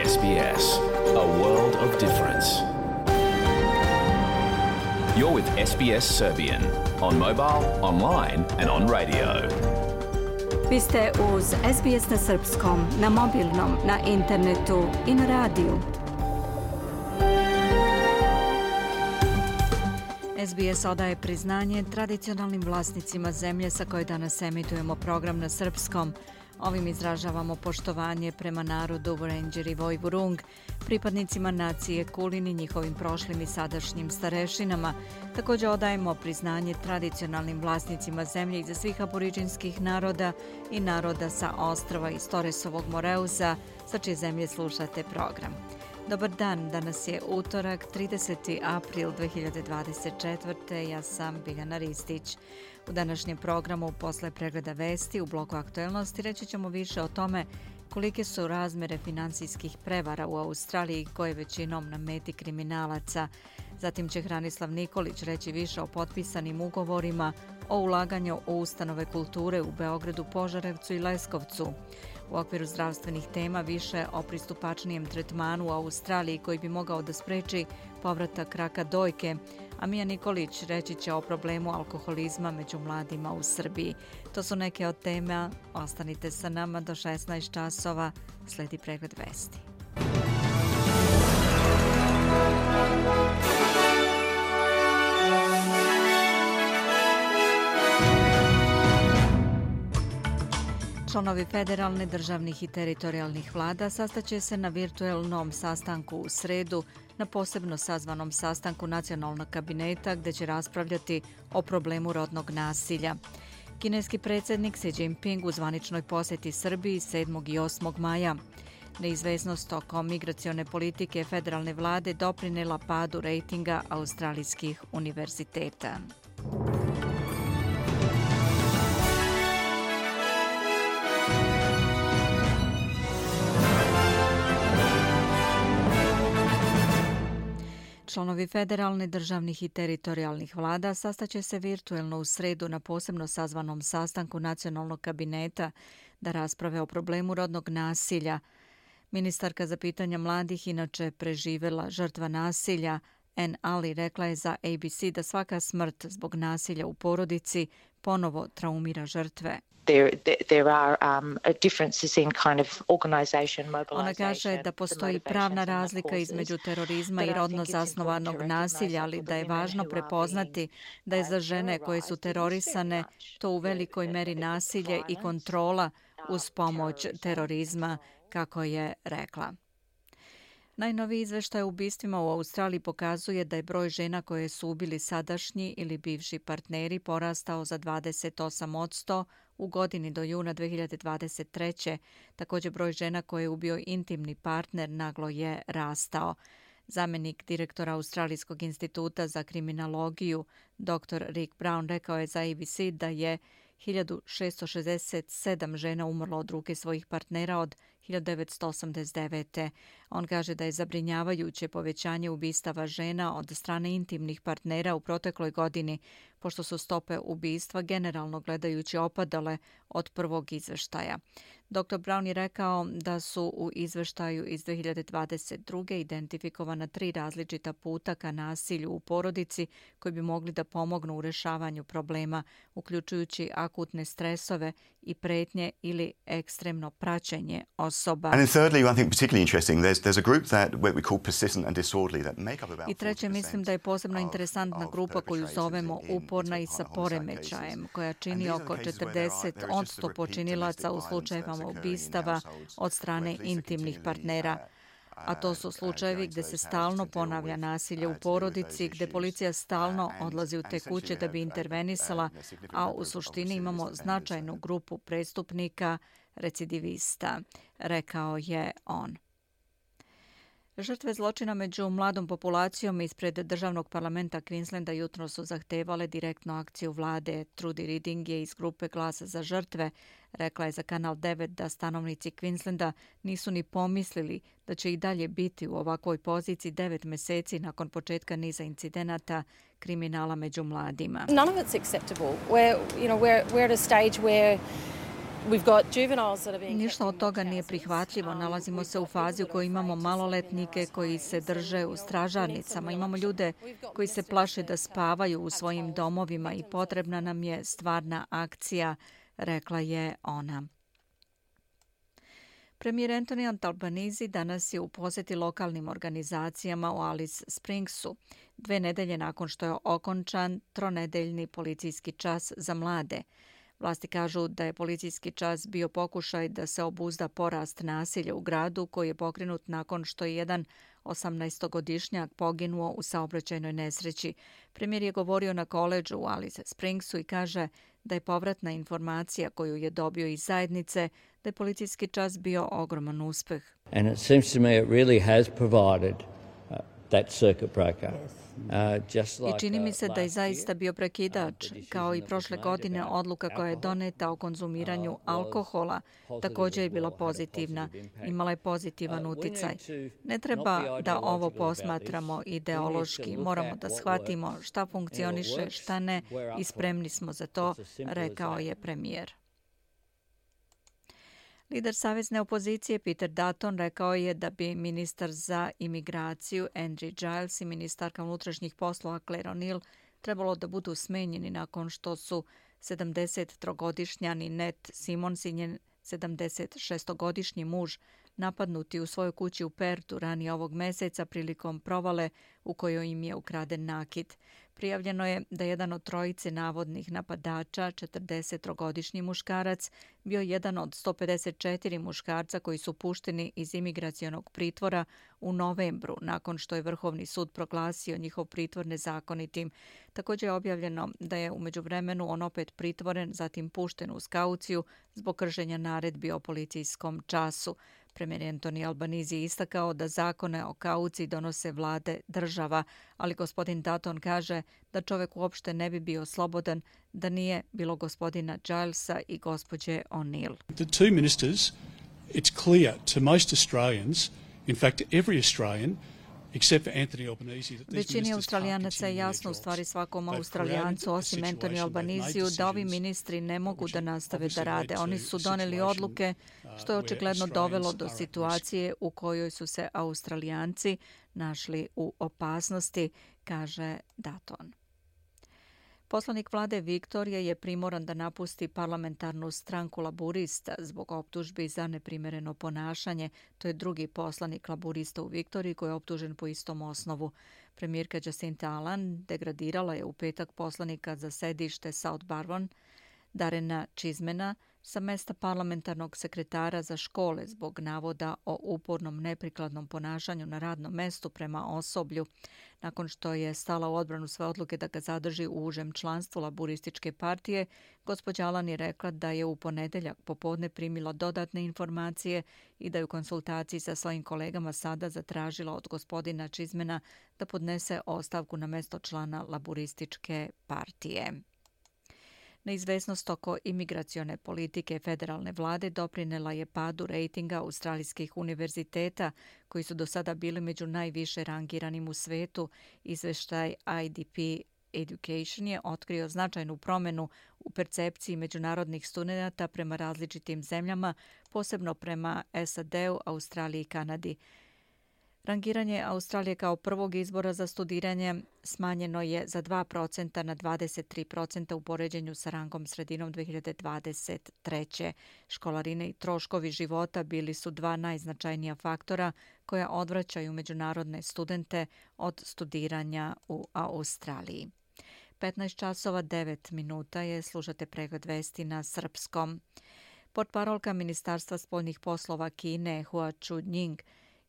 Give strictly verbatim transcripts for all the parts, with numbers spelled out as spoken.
S B S, a world of difference. You're with S B S Serbian on mobile, online and on radio. Vi ste uz S B S na srpskom, na mobilnom, na internetu i na radiju. S B S odaje priznanje tradicionalnim vlasnicima zemlje sa koje danas emitujemo program na srpskom. Ovim izražavamo poštovanje prema narodu Wurundjeri i Woiwurrung, pripadnicima nacije Kulin i njihovim prošlim i sadašnjim starešinama. Također odajemo priznanje tradicionalnim vlasnicima zemlje iza svih aboriđinskih naroda i naroda sa ostrva iz Toresovog Moreuza, sa čije zemlje slušate program. Dobar dan, danas je utorak, trideseti april dve hiljade dvadeset četvrte. Ja sam Biljana Ristić. U današnjem programu, posle pregleda vesti u bloku aktuelnosti, reći ćemo više o tome kolike su razmere finansijskih prevara u Australiji koje većinom na meti kriminalaca. Zatim će Hranislav Nikolić reći više o potpisanim ugovorima o ulaganju u ustanove kulture u Beogradu, Požarevcu i Leskovcu. U okviru zdravstvenih tema više o pristupačnijem tretmanu u Australiji koji bi mogao da spreči povratak raka dojke, a Mija Nikolić reći će o problemu alkoholizma među mladima u Srbiji. To su neke od tema. Ostanite sa nama do šesnaest časova. Sledi pregled vesti. Članovi federalne, državnih i teritorijalnih vlada sastaće se na virtuelnom sastanku u sredu na posebno sazvanom sastanku nacionalnog kabineta gdje će raspravljati o problemu rodnog nasilja. Kineski predsjednik Xi Jinping u zvaničnoj posjeti Srbiji sedmog i osmog maja. Neizvesnost oko migracione politike federalne vlade doprinela padu rejtinga australijskih univerziteta. Članovi federalne, državnih i teritorijalnih vlada sastaće se virtuelno u sredu na posebno sazvanom sastanku nacionalnog kabineta da rasprave o problemu rodnog nasilja. Ministarka za pitanja mladih, inače preživela žrtva nasilja, Ann Ali, rekla je za A B C da svaka smrt zbog nasilja u porodici ponovo traumira žrtve. There, there are um, differences in kind of organization, mobilization. Ona kaže da postoji pravna razlika između terorizma i rodno zasnovanog nasilja, ali da je važno prepoznati da je za žene koje su terorisane to u velikoj meri nasilje i kontrola uz pomoć terorizma, kako je rekla. Najnoviji izveštaj o ubistvima u Australiji pokazuje da je broj žena koje su ubili sadašnji ili bivši partneri porastao za dvadeset osam posto u godini do juna dve hiljade dvadeset treće. Također broj žena koje je ubio intimni partner naglo je rastao. Zamjenik direktora Australijskog instituta za kriminologiju, doktor Rick Brown, rekao je za A B C da je hiljadu šessto šezdeset sedam žena umrlo od ruke svojih partnera od hiljadu devetsto osamdeset devete. On kaže da je zabrinjavajuće povećanje ubistava žena od strane intimnih partnera u protekloj godini, pošto su stope ubistva generalno gledajući opadale od prvog izveštaja. doktor Brown je rekao da su u izveštaju iz dve hiljade dvadeset druge identifikovana tri različita puta ka nasilju u porodici koji bi mogli da pomognu u rešavanju problema, uključujući akutne stresove i pretnje ili ekstremno praćenje osoba. And then thirdly, I think particularly interesting, there's there's a group that what we call persistent and disorderly that make up about I treće, mislim da je posebno interesantna grupa koju zovemo uporna i sa poremećajem, koja čini oko četrdeset posto počinilaca u slučajevima ubistava od strane intimnih partnera. A to su slučajevi gdje se stalno ponavlja nasilje u porodici, gdje policija stalno odlazi u te kuće da bi intervenisala, a u suštini imamo značajnu grupu prestupnika, recidivista, rekao je on. Žrtve zločina među mladom populacijom ispred državnog parlamenta Queenslanda jutro su zahtevale direktnu akciju vlade. Trudy Riding je iz grupe Glasa za žrtve. Rekla je za Kanal devet da stanovnici Queenslanda nisu ni pomislili da će i dalje biti u ovakvoj poziciji devet meseci nakon početka niza incidenata kriminala među mladima. None of it's acceptable. We're, you know, we're, we're at a stage where Ništa od toga nije prihvatljivo. Nalazimo se u fazi u kojoj imamo maloletnike koji se drže u stražarnicama. Imamo ljude koji se plaše da spavaju u svojim domovima i potrebna nam je stvarna akcija, rekla je ona. Premijer Anthony Albanese danas je u posjeti lokalnim organizacijama u Alice Springsu, dve nedelje nakon što je okončan tronedeljni policijski čas za mlade. Vlasti kažu da je policijski čas bio pokušaj da se obuzda porast nasilja u gradu koji je pokrenut nakon što je jedan osamnaestogodišnjak poginuo u saobraćajnoj nesreći. Premijer je govorio na koledžu u Alice Springsu i kaže da je povratna informacija koju je dobio iz zajednice da je policijski čas bio ogroman uspeh. And it seems to me it really has provided uh, that circuit breaker. I čini mi se da je zaista bio prekidač, kao i prošle godine odluka koja je doneta o konzumiranju alkohola također je bila pozitivna, imala je pozitivan uticaj. Ne treba da ovo posmatramo ideološki, moramo da shvatimo šta funkcioniše, šta ne i spremni smo za to, rekao je premijer. Lider savezne opozicije Peter Dutton rekao je da bi ministar za imigraciju Andrew Giles i ministarka unutrašnjih poslova Claire O'Neill trebalo da budu smenjeni nakon što su sedamdesettrogodišnjani Ned Simons i njen sedamdesetšestogodišnji muž napadnuti u svojoj kući u Pertu ranije ovog meseca prilikom provale u kojoj im je ukraden nakit. Prijavljeno je da jedan od trojice navodnih napadača, četrdesettrogodišnji muškarac, bio jedan od sto pedeset četiri muškarca koji su pušteni iz imigracionog pritvora u novembru, nakon što je Vrhovni sud proglasio njihov pritvor nezakonitim. Također je objavljeno da je u međuvremenu on opet pritvoren, zatim pušten uz kauciju zbog kršenja naredbi o policijskom času. Premijer Anthony Albanese je istakao da zakone o kauciji donose vlade država, ali gospodin Dutton kaže da čovjek uopšte ne bi bio slobodan da nije bilo gospodina Gilesa i gospođe O'Neill. The two ministers, it's clear to most Australians, in fact every Australian, Većini Australijanaca je jasno, u stvari svakom Australijancu, osim Anthony Albaneseu, da ovi ministri ne mogu da nastave da rade. Oni su doneli odluke, što je očigledno dovelo do situacije u kojoj su se Australijanci našli u opasnosti, kaže Dutton. Poslanik vlade Viktorije je primoran da napusti parlamentarnu stranku Laburista zbog optužbi za neprimjereno ponašanje. To je drugi poslanik Laburista u Viktoriji koji je optužen po istom osnovu. Premijerka Jacinta Allan degradirala je u petak poslanika za sedište South Barwon, Darrena Chismana, sa mesta parlamentarnog sekretara za škole zbog navoda o upornom neprikladnom ponašanju na radnom mestu prema osoblju. Nakon što je stala u odbranu sve odluke da ga zadrži u užem članstvu Laburističke partije, gospođa Allan je rekla da je u ponedeljak popodne primila dodatne informacije i da je u konsultaciji sa svojim kolegama sada zatražila od gospodina Chismana da podnese ostavku na mesto člana Laburističke partije. Neizvesnost oko imigracione politike federalne vlade doprinela je padu rejtinga australijskih univerziteta, koji su do sada bili među najviše rangiranim u svetu. Izveštaj I D P Education je otkrio značajnu promjenu u percepciji međunarodnih studenata prema različitim zemljama, posebno prema S A D-u, Australiji i Kanadi. Rangiranje Australije kao prvog izbora za studiranje smanjeno je za dva procenta na dvadeset tri procenta u poređenju sa rangom sredinom dve hiljade dvadeset treće. Školarine i troškovi života bili su dva najznačajnija faktora koja odvraćaju međunarodne studente od studiranja u Australiji. petnaest časova devet minuta je, slušate pregled vesti na srpskom. Portparolka Ministarstva spoljnih poslova Kine Hua Chunying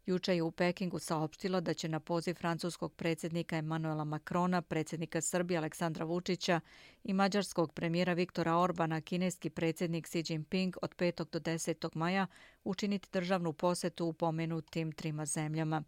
juče je u Pekingu saopštila da će na poziv francuskog predsjednika Emanuela Macrona, predsjednika Srbije Aleksandra Vučića i mađarskog premijera Viktora Orbana kineski predsjednik Xi Jinping od petog do desetog maja učiniti državnu posjetu u pomenutim trima zemljama.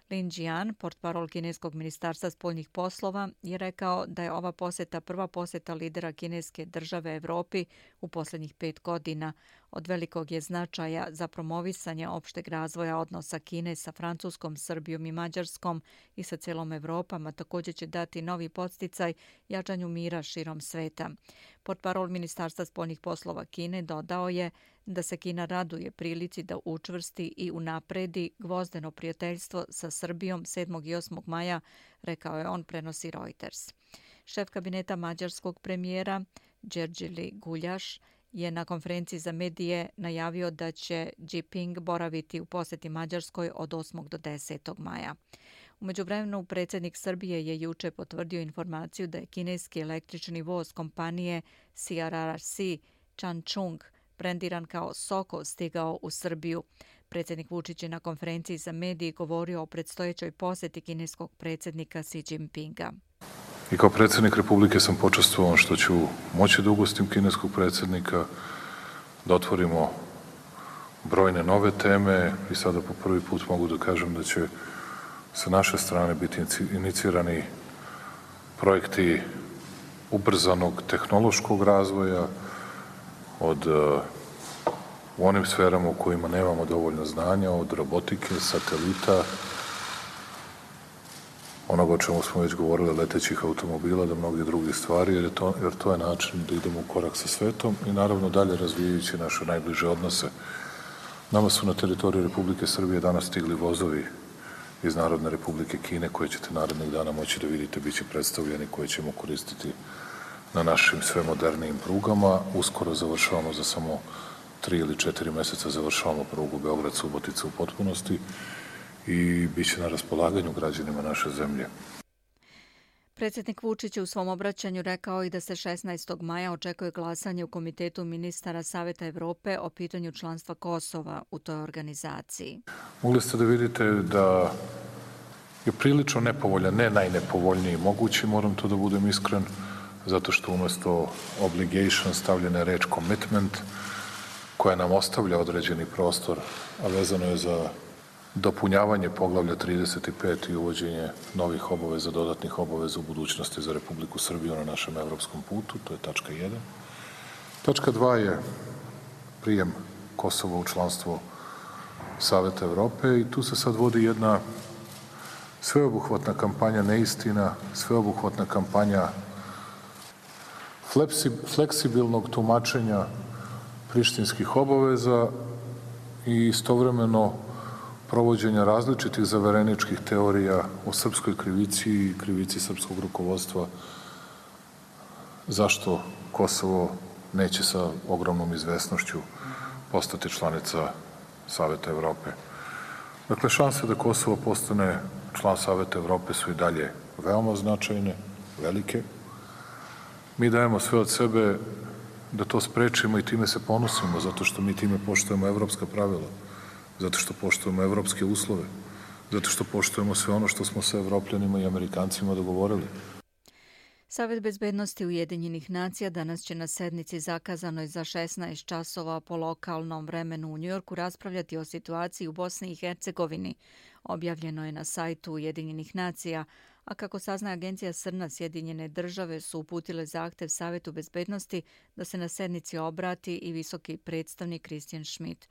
Lin Jian, portparol kineskog ministarstva spoljnih poslova, je rekao da je ova posjeta prva posjeta lidera kineske države Evropi u posljednjih pet godina. Od velikog je značaja za promovisanje opšteg razvoja odnosa Kine sa Francuskom, Srbijom i Mađarskom i sa celom Evropom, a također će dati novi podsticaj jačanju mira širom sveta. Portparol Ministarstva spoljnih poslova Kine dodao je da se Kina raduje prilici da učvrsti i unapredi gvozdeno prijateljstvo sa Srbijom sedmog i osmog maja, rekao je on, prenosi Reuters. Šef kabineta mađarskog premijera Đerđeli Guljaš je na konferenciji za medije najavio da će Jinping boraviti u posjeti Mađarskoj od osmog do desetog maja. U međuvremenu predsjednik Srbije je juče potvrdio informaciju da je kineski električni voz kompanije C R R C Changchun brendiran kao Soko stigao u Srbiju. Predsjednik Vučić je na konferenciji za medije govorio o predstojećoj posjeti kineskog predsjednika Xi Jinpinga. I kao predsjednik Republike sam počastvovan što ću moći da ugostim kineskog predsjednika, da otvorimo brojne nove teme i sada po prvi put mogu da kažem da će sa naše strane biti inicirani projekti ubrzanog tehnološkog razvoja od u onim sferama u kojima nemamo dovoljno znanja, od robotike, satelita, onoga o čemu smo već govorili, letećih automobila, da mnogi drugi stvari, jer, je to, jer to je način da idemo u korak sa svetom i naravno dalje razvijajući naše najbliže odnose. Nama su na teritoriji Republike Srbije danas stigli vozovi iz Narodne Republike Kine koje ćete narednih dana moći da vidite, bit će predstavljeni, koje ćemo koristiti na našim sve modernijim prugama. Uskoro završavamo za samo tri ili četiri meseca završavamo prugu Beograd-Subotica u potpunosti i bit će na raspolaganju građanima naše zemlje. Predsjednik Vučić je u svom obraćanju rekao i da se šesnaestog maja očekuje glasanje u Komitetu ministara Saveta Evrope o pitanju članstva Kosova u toj organizaciji. Mogli ste da vidite da je prilično nepovoljan, ne najnepovoljniji mogući, moram to da budem iskren, zato što umesto obligation stavljena je reč commitment, koja nam ostavlja određeni prostor, a vezano je za dopunjavanje poglavlja trideset pet i uvođenje novih obaveza, dodatnih obaveza u budućnosti za Republiku Srbiju na našem evropskom putu, to je tačka jedan. Tačka dva je prijem Kosova u članstvo Saveta Evrope i tu se sad vodi jedna sveobuhvatna kampanja neistina, sveobuhvatna kampanja fleksibilnog tumačenja prištinskih obaveza i istovremeno provođenja različitih zavereničkih teorija o srpskoj krivici i krivici srpskog rukovodstva zašto Kosovo neće sa ogromnom izvesnošću postati članica Saveta Evrope. Dakle, šanse da Kosovo postane član Saveta Evrope su i dalje veoma značajne, velike. Mi dajemo sve od sebe da to sprečimo i time se ponosimo, zato što mi time poštujemo evropska pravila, zato što poštujemo evropske uslove, zato što poštujemo sve ono što smo sa Evropljanima i Amerikancima dogovorili. Savet bezbednosti Ujedinjenih nacija danas će na sednici zakazanoj za šesnaest časova po lokalnom vremenu u Njujorku raspravljati o situaciji u Bosni i Hercegovini. Objavljeno je na sajtu Ujedinjenih nacija, a kako sazna agencija Srna, Sjedinjene države su uputile zahtev Savetu bezbednosti da se na sednici obrati i visoki predstavnik Christian Schmidt.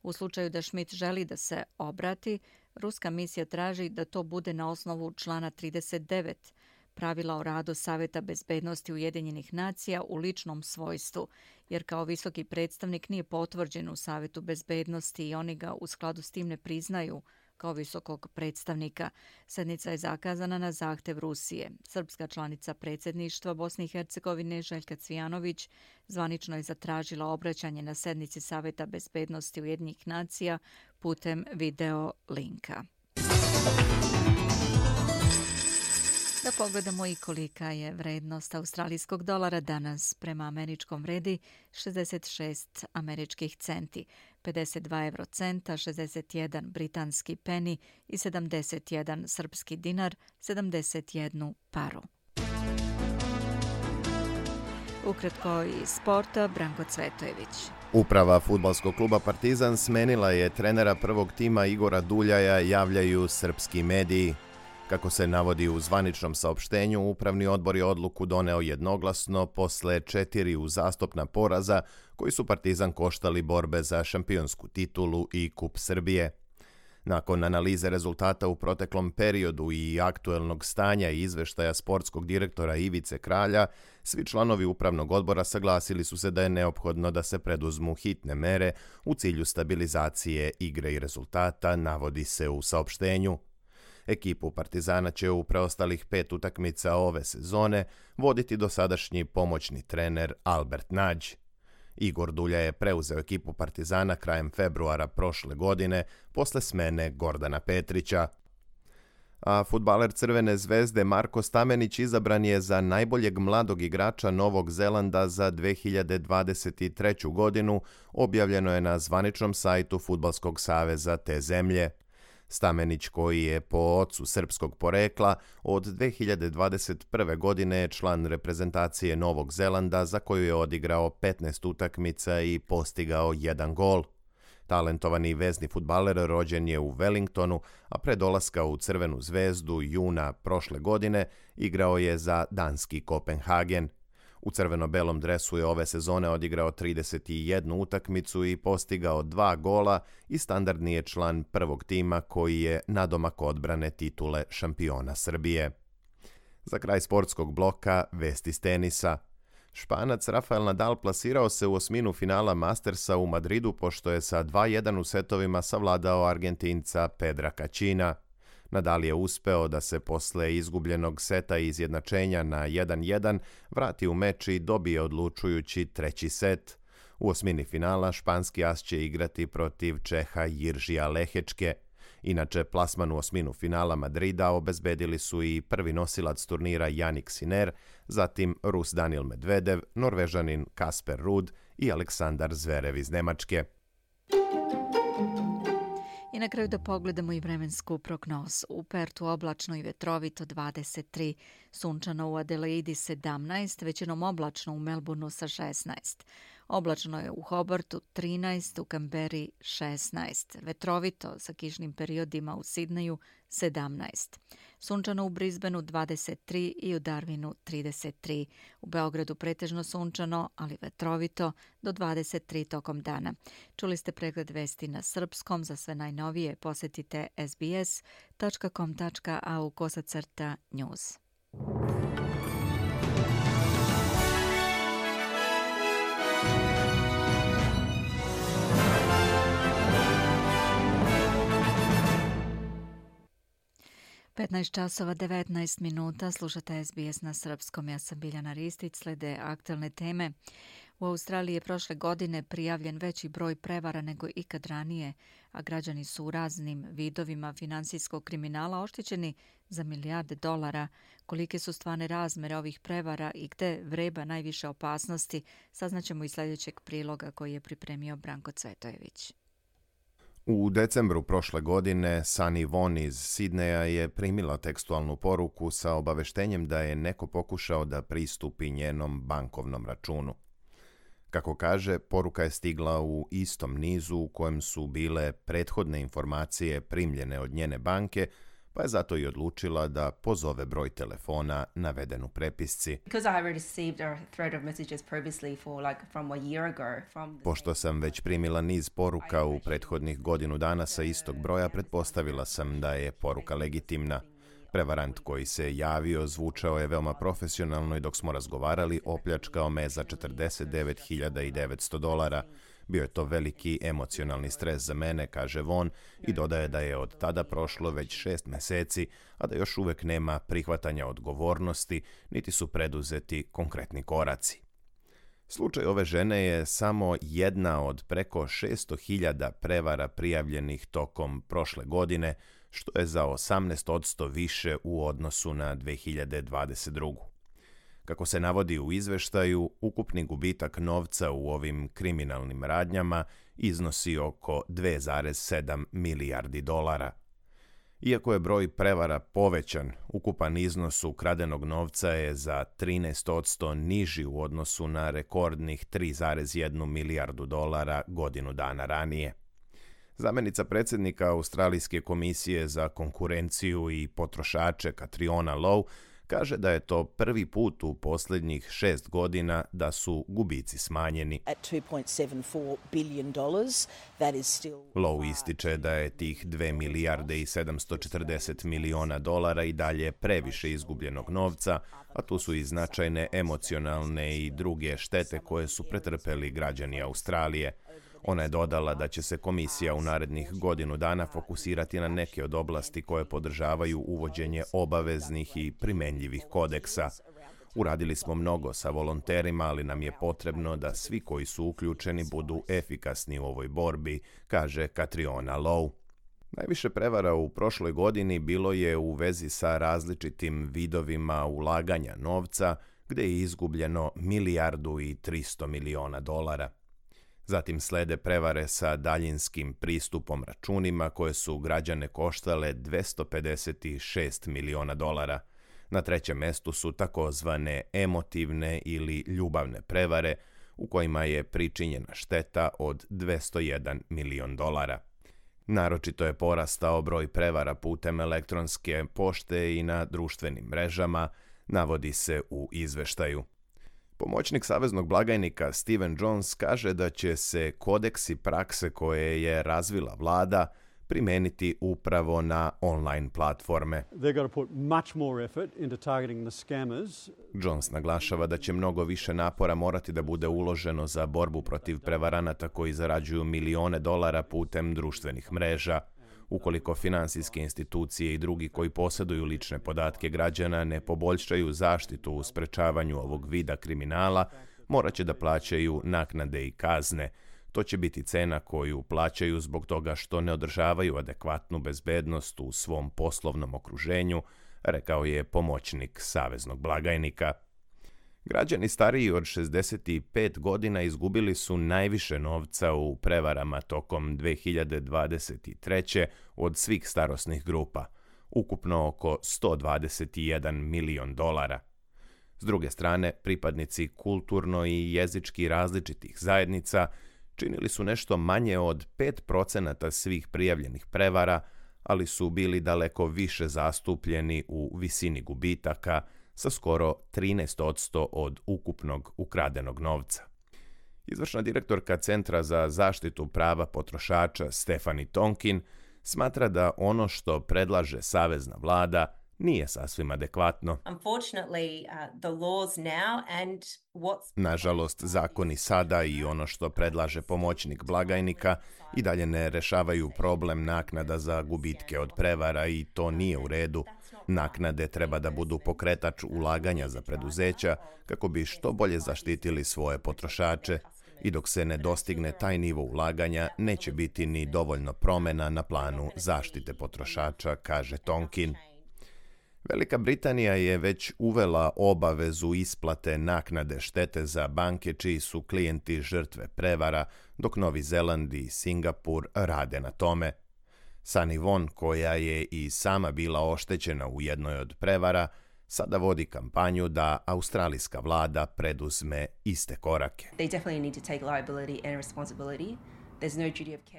U slučaju da Schmidt želi da se obrati, ruska misija traži da to bude na osnovu člana trideset devet pravila o radu Saveta bezbednosti Ujedinjenih nacija u ličnom svojstvu, jer kao visoki predstavnik nije potvrđen u Savetu bezbednosti i oni ga u skladu s tim ne priznaju kao visokog predstavnika. Sednica je zakazana na zahtev Rusije. Srpska članica predsjedništva Bosne i Hercegovine Željka Cvijanović zvanično je zatražila obraćanje na sednici Saveta bezbednosti Ujedinjenih nacija putem video linka. Da pogledamo i kolika je vrednost australijskog dolara danas. Prema američkom vredi šezdeset šest američkih centi, pedeset dva evrocenta, šezdeset jedan britanski peni i sedamdeset jedan srpski dinar, sedamdeset jednu paru. Ukratko iz sporta, Branko Cvetojević. Uprava fudbalskog kluba Partizan smenila je trenera prvog tima Igora Duljaja, javljaju srpski mediji. Kako se navodi u zvaničnom saopštenju, upravni odbor je odluku doneo jednoglasno posle četiri uzastopna poraza koji su Partizan koštali borbe za šampionsku titulu i Kup Srbije. Nakon analize rezultata u proteklom periodu i aktuelnog stanja i izveštaja sportskog direktora Ivice Kralja, svi članovi upravnog odbora saglasili su se da je neophodno da se preduzmu hitne mere u cilju stabilizacije igre i rezultata, navodi se u saopštenju. Ekipu Partizana će u preostalih pet utakmica ove sezone voditi dosadašnji pomoćni trener Albert Nađ. Igor Dulja je preuzeo ekipu Partizana krajem februara prošle godine posle smene Gordana Petrića. A fudbaler Crvene zvezde Marko Stamenić izabran je za najboljeg mladog igrača Novog Zelanda za dve hiljade dvadeset treću godinu, objavljeno je na zvaničnom sajtu Fudbalskog saveza te zemlje. Stamenić, koji je po ocu srpskog porekla, od dve hiljade dvadeset prve. godine je član reprezentacije Novog Zelanda za koju je odigrao petnaest utakmica i postigao jedan gol. Talentovani vezni fudbaler rođen je u Wellingtonu, a pre dolaska u Crvenu zvezdu juna prošle godine igrao je za danski Kopenhagen. U crveno-belom dresu je ove sezone odigrao trideset jednu utakmicu i postigao dva gola i standardni je član prvog tima koji je nadomak odbrane titule šampiona Srbije. Za kraj sportskog bloka vesti iz tenisa. Španac Rafael Nadal plasirao se u osminu finala Mastersa u Madridu pošto je sa dva jedan u setovima savladao Argentinca Pedra Kacina. Nadal je uspeo da se posle izgubljenog seta i izjednačenja na jedan jedan vrati u meč i dobije odlučujući treći set. U osmini finala španski as će igrati protiv Čeha Jiržija Lehečke. Inače, plasman u osminu finala Madrida obezbedili su i prvi nosilac turnira Jannik Sinner, zatim Rus Daniil Medvedev, Norvežanin Kasper Ruud i Aleksandar Zverev iz Nemačke. I na kraju da pogledamo i vremensku prognozu. U Pertu oblačno i vetrovito dvadeset tri, sunčano u Adelaidi sedamnaest, većinom oblačno u Melbourneu sa šesnaest. Oblačno je u Hobartu trinaest, u Kamberi šesnaest, vetrovito sa kišnim periodima u Sidneju sedamnaest. Sunčano u Brisbaneu dvadeset tri i u Darwinu trideset tri. U Beogradu pretežno sunčano, ali vetrovito do dvadeset tri tokom dana. Čuli ste pregled vesti na srpskom. Za sve najnovije posetite es be es tačka com tačka a u kosacrta news. petnaest časova devetnaest minuta, slušate es be es na srpskom. Ja sam Biljana Ristić, slede aktualne teme. U Australiji je prošle godine prijavljen veći broj prevara nego ikad ranije, a građani su u raznim vidovima finansijskog kriminala oštećeni za milijarde dolara. Kolike su stvarne razmere ovih prevara i gde vreba najviše opasnosti, saznaćemo iz sljedećeg priloga koji je pripremio Branko Cvetojević. U decembru prošle godine Sunny Von iz Sidneja je primila tekstualnu poruku sa obaveštenjem da je neko pokušao da pristupi njenom bankovnom računu. Kako kaže, poruka je stigla u istom nizu u kojem su bile prethodne informacije primljene od njene banke, pa je zato i odlučila da pozove broj telefona naveden u prepisci. Pošto sam već primila niz poruka u prethodnih godinu dana sa istog broja, pretpostavila sam da je poruka legitimna. Prevarant koji se javio zvučao je veoma profesionalno i dok smo razgovarali opljačkao me za četrdeset devet hiljada devetsto dolara. Bio je to veliki emocionalni stres za mene, kaže Von, i dodaje da je od tada prošlo već šest meseci, a da još uvek nema prihvatanja odgovornosti, niti su preduzeti konkretni koraci. Slučaj ove žene je samo jedna od preko šesto hiljada prevara prijavljenih tokom prošle godine, što je za osamnaest posto više u odnosu na dve hiljade dvadeset drugu. Kako se navodi u izveštaju, ukupni gubitak novca u ovim kriminalnim radnjama iznosi oko dve zarez sedam milijardi dolara. Iako je broj prevara povećan, ukupan iznos ukradenog novca je za trinaest posto niži u odnosu na rekordnih tri zarez jedna milijardu dolara godinu dana ranije. Zamenica predsjednika Australijske komisije za konkurenciju i potrošače Catriona Lowe kaže da je to prvi put u posljednjih šest godina da su gubici smanjeni. Lowe ističe da je tih dve milijarde i sedamsto četrdeset miliona dolara i dalje previše izgubljenog novca, a tu su i značajne emocionalne i druge štete koje su pretrpeli građani Australije. Ona je dodala da će se komisija u narednih godinu dana fokusirati na neke od oblasti koje podržavaju uvođenje obaveznih i primenjivih kodeksa. Uradili smo mnogo sa volonterima, ali nam je potrebno da svi koji su uključeni budu efikasni u ovoj borbi, kaže Catriona Lowe. Najviše prevara u prošloj godini bilo je u vezi sa različitim vidovima ulaganja novca, gdje je izgubljeno milijardu i tristo miliona dolara. Zatim slede prevare sa daljinskim pristupom računima koje su građane koštale dvjesto pedeset šest miliona dolara. Na trećem mestu su takozvane emotivne ili ljubavne prevare u kojima je pričinjena šteta od dvjesto jedan milion dolara. Naročito je porastao broj prevara putem elektronske pošte i na društvenim mrežama, navodi se u izveštaju. Pomoćnik saveznog blagajnika Steven Jones kaže da će se kodeksi prakse koje je razvila vlada primeniti upravo na online platforme. Jones naglašava da će mnogo više napora morati da bude uloženo za borbu protiv prevaranata koji zarađuju milione dolara putem društvenih mreža. Ukoliko finansijske institucije i drugi koji posjeduju lične podatke građana ne poboljšaju zaštitu u sprečavanju ovog vida kriminala, morat će da plaćaju naknade i kazne. To će biti cena koju plaćaju zbog toga što ne održavaju adekvatnu bezbednost u svom poslovnom okruženju, rekao je pomoćnik saveznog blagajnika. Građani stariji od šezdeset pet godina izgubili su najviše novca u prevarama tokom dve hiljade dvadeset treće od svih starosnih grupa, ukupno oko sto dvadeset jedan milion dolara. S druge strane, pripadnici kulturno i jezički različitih zajednica činili su nešto manje od pet procenata svih prijavljenih prevara, ali su bili daleko više zastupljeni u visini gubitaka, sa skoro trinaest posto od ukupnog ukradenog novca. Izvršna direktorka Centra za zaštitu prava potrošača Stephanie Tonkin smatra da ono što predlaže savezna vlada nije sasvim adekvatno. Nažalost, zakoni sada i ono što predlaže pomoćnik blagajnika i dalje ne rešavaju problem naknada za gubitke od prevara i to nije u redu. Naknade treba da budu pokretač ulaganja za preduzeća kako bi što bolje zaštitili svoje potrošače i dok se ne dostigne taj nivo ulaganja neće biti ni dovoljno promjena na planu zaštite potrošača, kaže Tonkin. Velika Britanija je već uvela obavezu isplate naknade štete za banke čiji su klijenti žrtve prevara, dok Novi Zeland i Singapur rade na tome. Sunny Won, koja je i sama bila oštećena u jednoj od prevara, sada vodi kampanju da australijska vlada preduzme iste korake.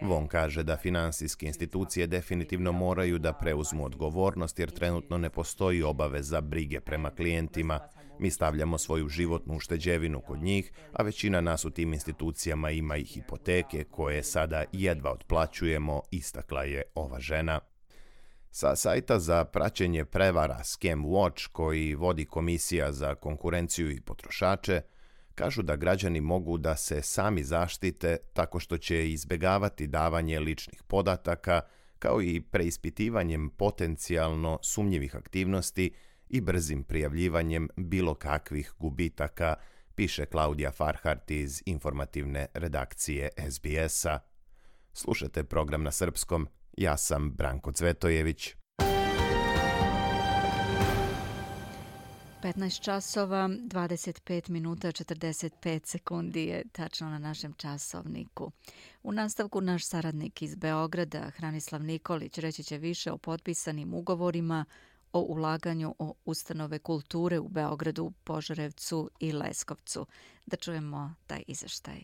Won kaže da finansijske institucije definitivno moraju da preuzmu odgovornost jer trenutno ne postoji obaveza brige prema klijentima. Mi stavljamo svoju životnu ušteđevinu kod njih, a većina nas u tim institucijama ima i hipoteke koje sada jedva otplaćujemo, istakla je ova žena. Sa sajta za praćenje prevara Scam Watch, koji vodi Komisija za konkurenciju i potrošače, kažu da građani mogu da se sami zaštite tako što će izbjegavati davanje ličnih podataka, kao i preispitivanjem potencijalno sumnjivih aktivnosti i brzim prijavljivanjem bilo kakvih gubitaka, piše Klaudija Farhart iz informativne redakcije S B S-a. Slušajte program na srpskom, ja sam Branko Cvetojević. petnaest časova, dvadeset pet minuta, četrdeset pet sekundi je tačno na našem časovniku. U nastavku naš saradnik iz Beograda, Hranislav Nikolić, reći će više o potpisanim ugovorima o ulaganju o ustanove kulture u Beogradu, Požarevcu i Leskovcu. Da čujemo taj izveštaj.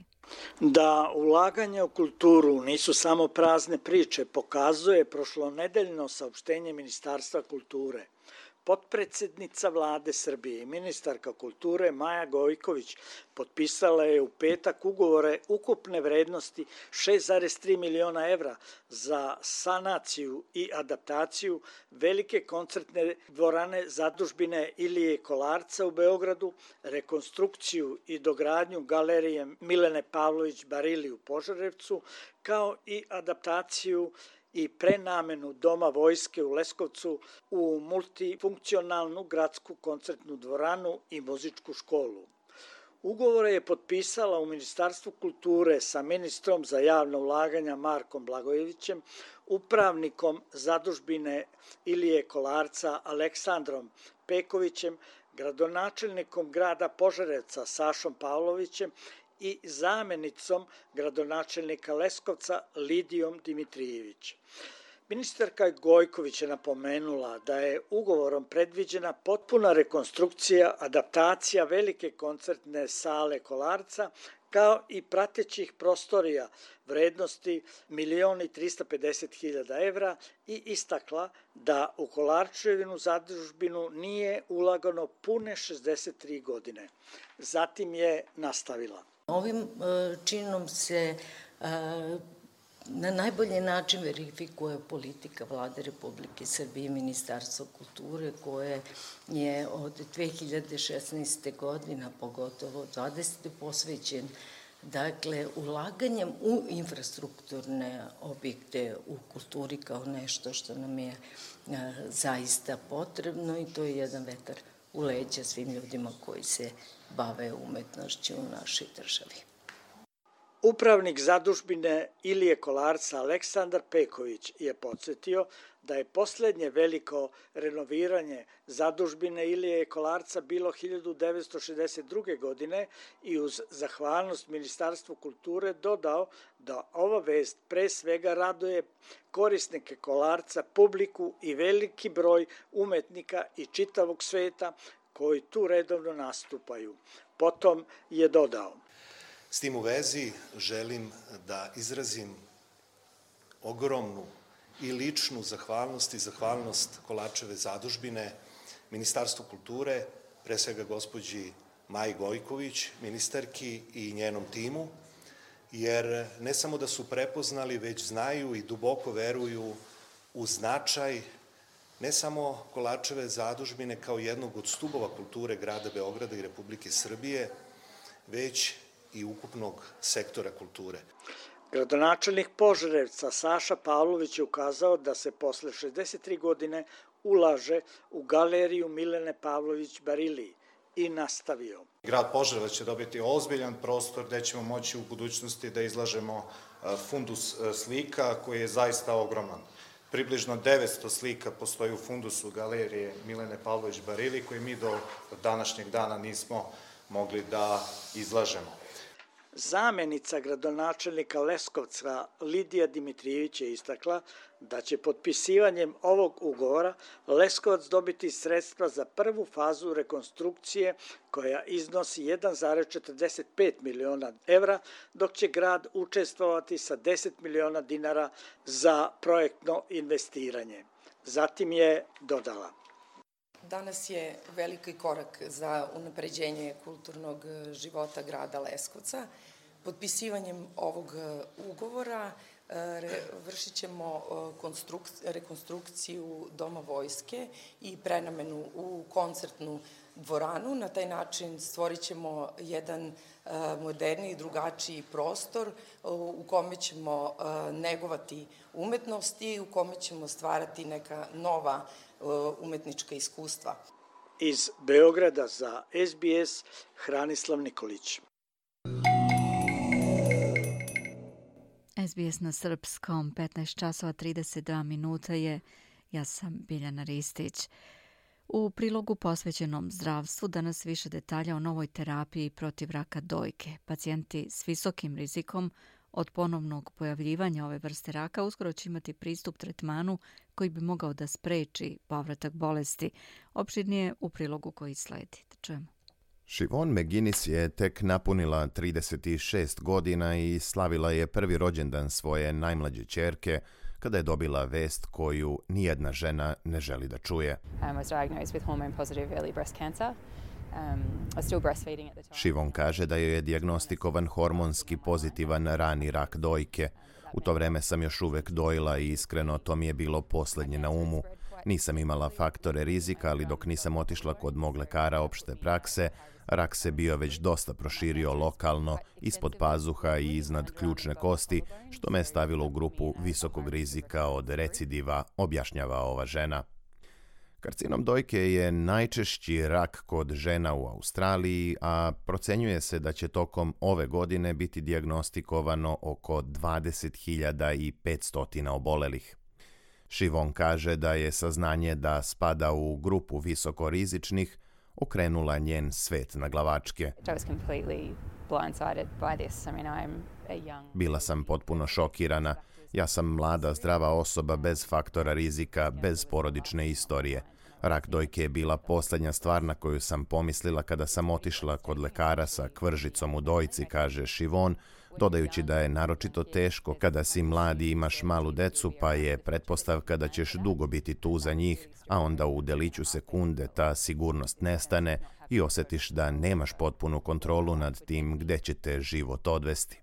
Da ulaganje u kulturu nisu samo prazne priče, pokazuje prošlonedeljno saopštenje Ministarstva kulture. Potpredsednica Vlade Srbije i ministarka kulture Maja Gojković potpisala je u petak ugovore ukupne vrednosti šest zarez tri miliona evra za sanaciju i adaptaciju velike koncertne dvorane zadužbine Ilije Kolarca u Beogradu, rekonstrukciju i dogradnju galerije Milene Pavlović Barili u Požarevcu, kao i adaptaciju i prenamenu Doma vojske u Leskovcu u multifunkcionalnu gradsku koncertnu dvoranu i muzičku školu. Ugovore je potpisala u Ministarstvu kulture sa ministrom za javna ulaganja Markom Blagojevićem, upravnikom zadužbine Ilije Kolarca Aleksandrom Pekovićem, gradonačelnikom grada Požarevca Sašom Pavlovićem i zamenicom gradonačelnika Leskovca Lidijom Dimitrijević. Ministarka Gojković je napomenula da je ugovorom predviđena potpuna rekonstrukcija, adaptacija velike koncertne sale Kolarca, kao i pratećih prostorija vrednosti milion i trista pedeset hiljada evra i istakla da u Kolarčevinu zadužbinu nije ulagano pune šezdeset tri godine. Zatim je nastavila. Ovim činom se na najbolji način verifikuje politika Vlade Republike Srbije i Ministarstva kulture koje je od dve hiljade šesnaeste. godine, pogotovo dvadesete posvećen dakle ulaganjem u infrastrukturne objekte u kulturi kao nešto što nam je zaista potrebno i to je jedan vetar u leđa svim ljudima koji se bave umetnošću u našoj državi. Upravnik zadužbine Ilije Kolarca Aleksandar Peković je podsjetio da je poslednje veliko renoviranje zadužbine Ilije Kolarca bilo hiljadu devetsto šezdeset druge. godine i uz zahvalnost Ministarstvu kulture dodao da ova vest pre svega raduje korisnike Kolarca, publiku i veliki broj umetnika i čitavog sveta koji tu redovno nastupaju. Potom je dodao: S tim u vezi želim da izrazim ogromnu i ličnu zahvalnost i zahvalnost Kolarčeve zadužbine, Ministarstvu kulture, pre svega gospođi Maji Gojković, ministarki i njenom timu, jer ne samo da su prepoznali, već znaju i duboko veruju u značaj ne samo Kolarčeve zadužbine kao jednog od stubova kulture grada Beograda i Republike Srbije, već i ukupnog sektora kulture. Gradonačelnik Požarevca Saša Pavlović je ukazao da se posle šezdeset tri godine ulaže u galeriju Milene Pavlović Barili i nastavio. Grad Požarevac će dobiti ozbiljan prostor gde ćemo moći u budućnosti da izlažemo fundus slika koji je zaista ogroman. Približno devetsto slika postoji u fundusu galerije Milene Pavlović Barili koji mi do današnjeg dana nismo mogli da izlažemo. Zamenica gradonačelnika Leskovca Lidija Dimitrijević je istakla da će potpisivanjem ovog ugovora Leskovac dobiti sredstva za prvu fazu rekonstrukcije koja iznosi jedan zarez četrdeset pet miliona evra, dok će grad učestvovati sa deset miliona dinara za projektno investiranje. Zatim je dodala: Danas je veliki korak za unapređenje kulturnog života grada Leskovca. Potpisivanjem ovog ugovora vršit ćemo rekonstrukciju Doma vojske i prenamenu u koncertnu dvoranu. Na taj način stvorit ćemo jedan moderniji, drugačiji prostor u kome ćemo negovati umetnost i u kome ćemo stvarati neka nova umetnička iskustva. Iz Beograda za S B S Hranislav Nikolić. S B S na srpskom, petnaest časova trideset dva minuta je. Ja sam Biljana Ristić. U prilogu posvećenom zdravstvu danas više detalja o novoj terapiji protiv raka dojke. Pacijenti s visokim rizikom Od ponovnog pojavljivanja ove vrste raka uskoro će imati pristup tretmanu koji bi mogao da spreči povratak bolesti. Opširnije u prilogu koji sledi. Čujemo. Siobhan McGuinness je tek napunila trideset šest godina i slavila je prvi rođendan svoje najmlađe ćerke kada je dobila vest koju nijedna žena ne želi da čuje. Siobhan kaže da joj je dijagnostikovan hormonski pozitivan rani rak dojke. U to vreme sam još uvek dojila i iskreno to mi je bilo posljednje na umu. Nisam imala faktore rizika, ali dok nisam otišla kod mog lekara opšte prakse, rak se bio već dosta proširio lokalno, ispod pazuha i iznad ključne kosti, što me je stavilo u grupu visokog rizika od recidiva, objašnjava ova žena. Karcinom dojke je najčešći rak kod žena u Australiji, a procenjuje se da će tokom ove godine biti dijagnostikovano oko dvadeset hiljada petsto obolelih. Siobhan kaže da je saznanje da spada u grupu visokorizičnih okrenula njen svet na glavačke. Bila sam potpuno šokirana. Ja sam mlada, zdrava osoba bez faktora rizika, bez porodične istorije. Rak dojke je bila posljednja stvar na koju sam pomislila kada sam otišla kod lekara sa kvržicom u dojci, kaže Siobhan, dodajući da je naročito teško kada si mlad i imaš malu decu, pa je pretpostavka da ćeš dugo biti tu za njih, a onda u deliću sekunde ta sigurnost nestane i osjetiš da nemaš potpunu kontrolu nad tim gde će te život odvesti.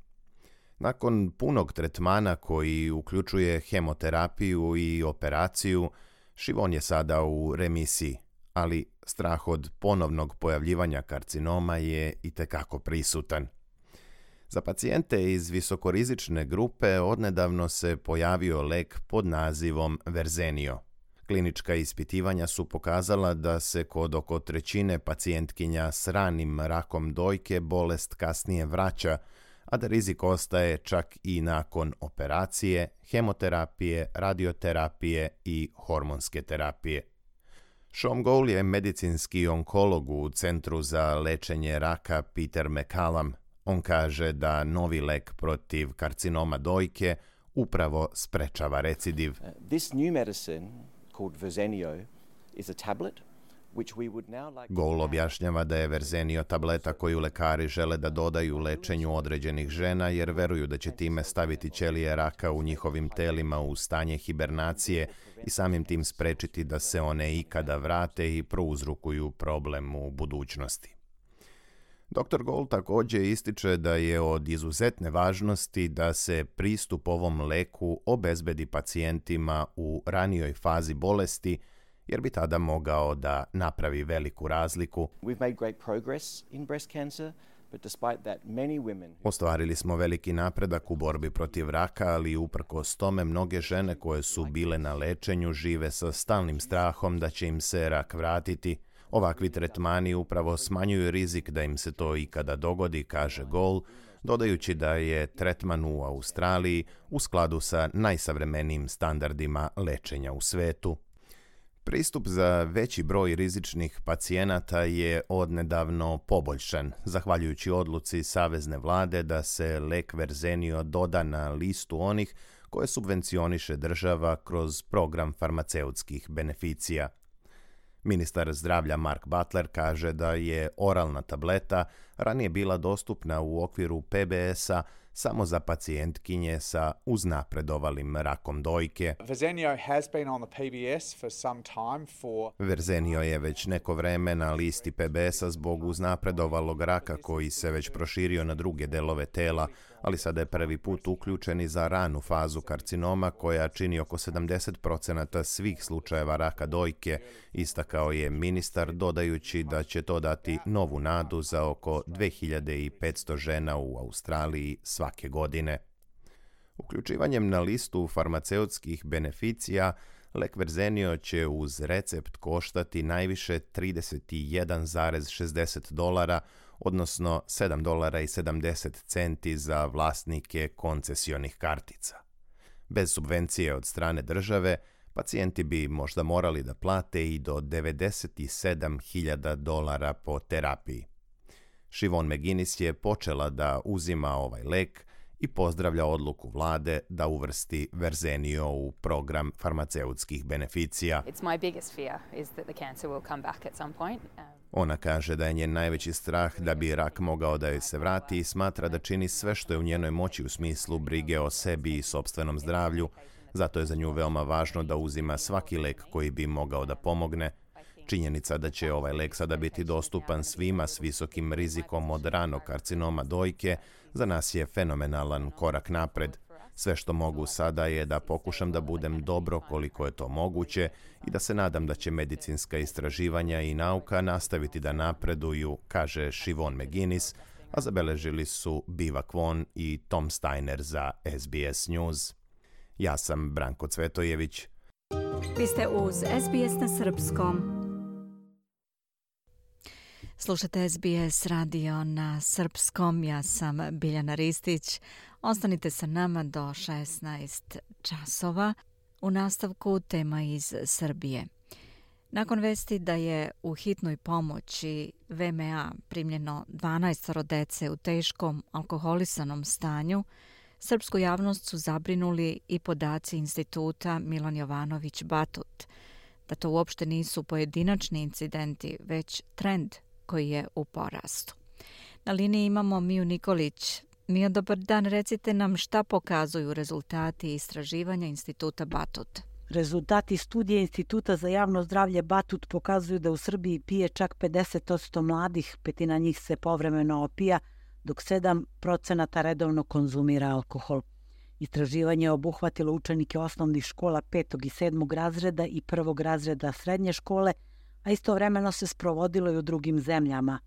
Nakon punog tretmana koji uključuje hemoterapiju i operaciju, Siobhan je sada u remisiji, ali strah od ponovnog pojavljivanja karcinoma je itekako prisutan. Za pacijente iz visokorizične grupe odnedavno se pojavio lek pod nazivom Verzenio. Klinička ispitivanja su pokazala da se kod oko trećine pacijentkinja s ranim rakom dojke bolest kasnije vraća, a da rizik ostaje čak i nakon operacije, hemoterapije, radioterapije i hormonske terapije. Sean Gould je medicinski onkolog u Centru za lečenje raka Peter MacCallum. On kaže da novi lek protiv karcinoma dojke upravo sprečava recidiv. Uh, this new medicine called Verzenio is a tablet. Gould objašnjava da je Verzenio tableta koju lekari žele da dodaju lečenju određenih žena jer veruju da će time staviti ćelije raka u njihovim telima u stanje hibernacije i samim tim sprečiti da se one ikada vrate i prouzrokuju problem u budućnosti. doktor Gould također ističe da je od izuzetne važnosti da se pristup ovom leku obezbedi pacijentima u ranijoj fazi bolesti, jer bi tada mogao da napravi veliku razliku. Ostvarili smo veliki napredak u borbi protiv raka, ali uprkos tome mnoge žene koje su bile na lečenju žive sa stalnim strahom da će im se rak vratiti. Ovakvi tretmani upravo smanjuju rizik da im se to ikada dogodi, kaže Gould, dodajući da je tretman u Australiji u skladu sa najsavremenijim standardima lečenja u svetu. Pristup za veći broj rizičnih pacijenata je odnedavno poboljšan, zahvaljujući odluci Savezne vlade da se lek Verzenio doda na listu onih koje subvencioniše država kroz program farmaceutskih beneficija. Ministar zdravlja Mark Butler kaže da je oralna tableta ranije bila dostupna u okviru P B S-a samo za pacijentkinje sa uznapredovalim rakom dojke. Verzenio has been on the P B S for some time for Verzenio je već neko vreme na listi P B S-a zbog uznapredovalog raka koji se već proširio na druge delove tela, ali sada je prvi put uključen i za ranu fazu karcinoma koja čini oko sedamdeset posto svih slučajeva raka dojke, istakao je ministar dodajući da će to dati novu nadu za oko dve hiljade petsto žena u Australiji svake godine. Uključivanjem na listu farmaceutskih beneficija, lek Verzenio će uz recept koštati najviše trideset jedan zarez šezdeset dolara, odnosno sedam dolara i sedamdeset centi za vlasnike koncesionih kartica. Bez subvencije od strane države, pacijenti bi možda morali da plate i do devedeset sedam hiljada dolara po terapiji. Siobhan McGuinness je počela da uzima ovaj lek i pozdravlja odluku vlade da uvrsti Verzenio u program farmaceutskih beneficija. Ona kaže da je njen najveći strah da bi rak mogao da joj se vrati i smatra da čini sve što je u njenoj moći u smislu brige o sebi i sopstvenom zdravlju, zato je za nju veoma važno da uzima svaki lek koji bi mogao da pomogne. Činjenica da će ovaj lek sada biti dostupan svima s visokim rizikom od ranog karcinoma dojke za nas je fenomenalan korak napred. Sve što mogu sada je da pokušam da budem dobro koliko je to moguće i da se nadam da će medicinska istraživanja i nauka nastaviti da napreduju, kaže Siobhan McGuinness, a zabeležili su Biva Kwon i Tom Steiner za S B S News. Ja sam Branko Cvetojević. Vi ste uz S B S na srpskom. Slušate S B S radio na srpskom, ja sam Biljana Ristić. Ostanite sa nama do šesnaest časova. U nastavku tema iz Srbije. Nakon vesti da je u hitnoj pomoći V M A primljeno dvanaest dece u teškom alkoholisanom stanju, srpsku javnost su zabrinuli i podaci instituta Milan Jovanović Batut, da to uopšte nisu pojedinačni incidenti, već trend koji je u porastu. Na liniji imamo Miju Nikolić. Mija, dobar dan, recite nam šta pokazuju rezultati istraživanja instituta Batut. Rezultati studije Instituta za javno zdravlje Batut pokazuju da u Srbiji pije čak pedeset posto mladih, petina njih se povremeno opija, dok sedam procenata redovno konzumira alkohol. Istraživanje je obuhvatilo učenike osnovnih škola petog i sedmog razreda i prvog razreda srednje škole, a istovremeno se sprovodilo i u drugim zemljama.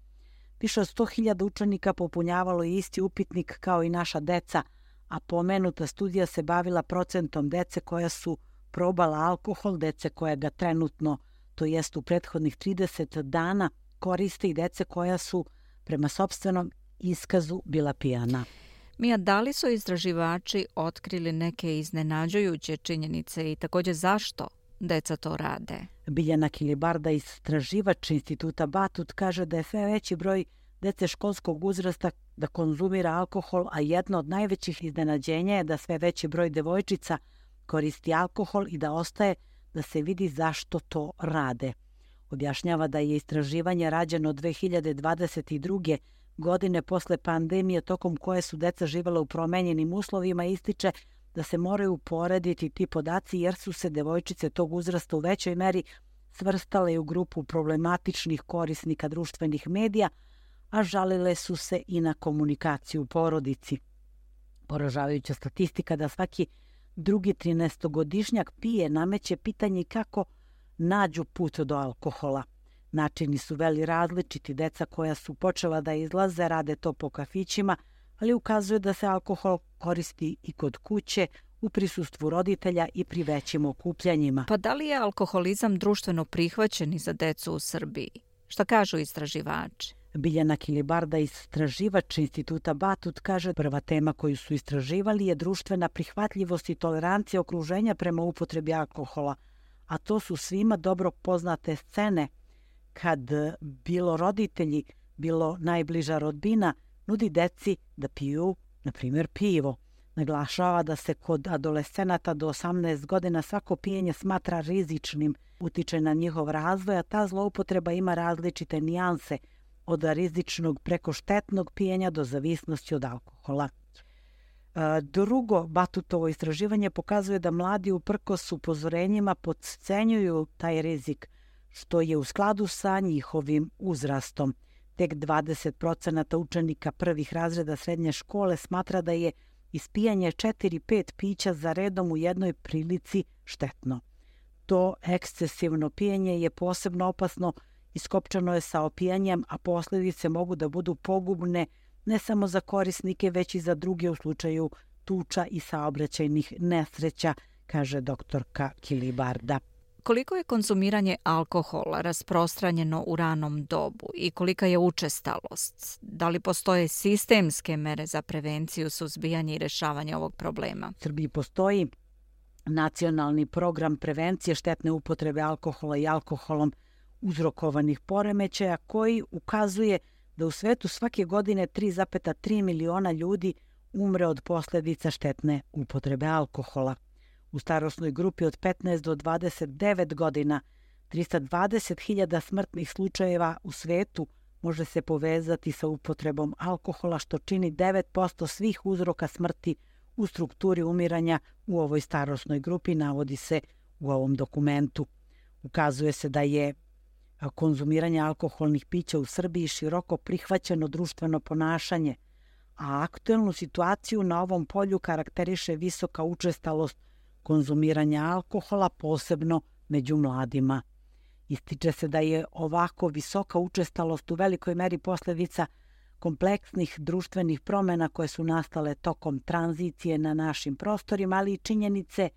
Više od sto hiljada učenika popunjavalo je isti upitnik kao i naša deca, a pomenuta studija se bavila procentom dece koja su probala alkohol, dece koja ga trenutno, to jest u prethodnih trideset dana, koriste i dece koja su prema sopstvenom iskazu bila pijana. Mija, da li su istraživači otkrili neke iznenađujuće činjenice i također zašto deca to rade? Biljana Kilibarda, istraživač Instituta Batut, kaže da je sve veći broj dece školskog uzrasta da konzumira alkohol, a jedno od najvećih iznenađenja je da sve veći broj devojčica koristi alkohol i da ostaje da se vidi zašto to rade. Objašnjava da je istraživanje rađeno dve hiljade dvadeset druge godine posle pandemije tokom koje su deca živjela u promenjenim uslovima i ističe da se moraju uporediti ti podaci jer su se devojčice tog uzrasta u većoj meri svrstale u grupu problematičnih korisnika društvenih medija, a žalile su se i na komunikaciju u porodici. Poražavajuća statistika da svaki drugi trinaestogodišnjak pije nameće pitanje kako nađu put do alkohola. Načini su veli različiti, deca koja su počela da izlaze rade to po kafićima, ali ukazuje da se alkohol koristi i kod kuće, u prisustvu roditelja i pri većim okupljanjima. Pa da li je alkoholizam društveno prihvaćen i za decu u Srbiji? Šta kažu istraživači? Biljana Kilibarda, istraživač Instituta Batut, kaže prva tema koju su istraživali je društvena prihvatljivost i tolerancija okruženja prema upotrebi alkohola, a to su svima dobro poznate scene kad bilo roditelji, bilo najbliža rodbina nudi deci da piju, na primjer, pivo. Naglašava da se kod adolescenata do osamnaest godina svako pijenje smatra rizičnim, utiče na njihov razvoj, a ta zloupotreba ima različite nijanse, od rizičnog preko štetnog pijenja do zavisnosti od alkohola. Drugo, Batutovo istraživanje pokazuje da mladi uprkos upozorenjima podcenjuju taj rizik, što je u skladu sa njihovim uzrastom. Tek dvadeset procenata učenika prvih razreda srednje škole smatra da je ispijanje četiri pet pića za redom u jednoj prilici štetno. To ekscesivno pijenje je posebno opasno, iskopčano je sa opijanjem, a posljedice mogu da budu pogubne ne samo za korisnike, već i za druge u slučaju tuča i saobraćajnih nesreća, kaže doktorka Kilibarda. Koliko je konzumiranje alkohola rasprostranjeno u ranom dobu i kolika je učestalost? Da li postoje sistemske mere za prevenciju, suzbijanje i rešavanje ovog problema? U Srbiji postoji nacionalni program prevencije štetne upotrebe alkohola i alkoholom uzrokovanih poremećaja koji ukazuje da u svetu svake godine tri zarez tri miliona ljudi umre od posljedica štetne upotrebe alkohola. U starosnoj grupi od petnaest do dvadeset devet godina trista dvadeset hiljada smrtnih slučajeva u svetu može se povezati sa upotrebom alkohola, što čini devet posto svih uzroka smrti u strukturi umiranja u ovoj starosnoj grupi, navodi se u ovom dokumentu. Ukazuje se da je konzumiranje alkoholnih pića u Srbiji široko prihvaćeno društveno ponašanje, a aktuelnu situaciju na ovom polju karakteriše visoka učestalost konzumiranja alkohola, posebno među mladima. Ističe se da je ovako visoka učestalost u velikoj meri posljedica kompleksnih društvenih promjena koje su nastale tokom tranzicije na našim prostorima, ali i činjenice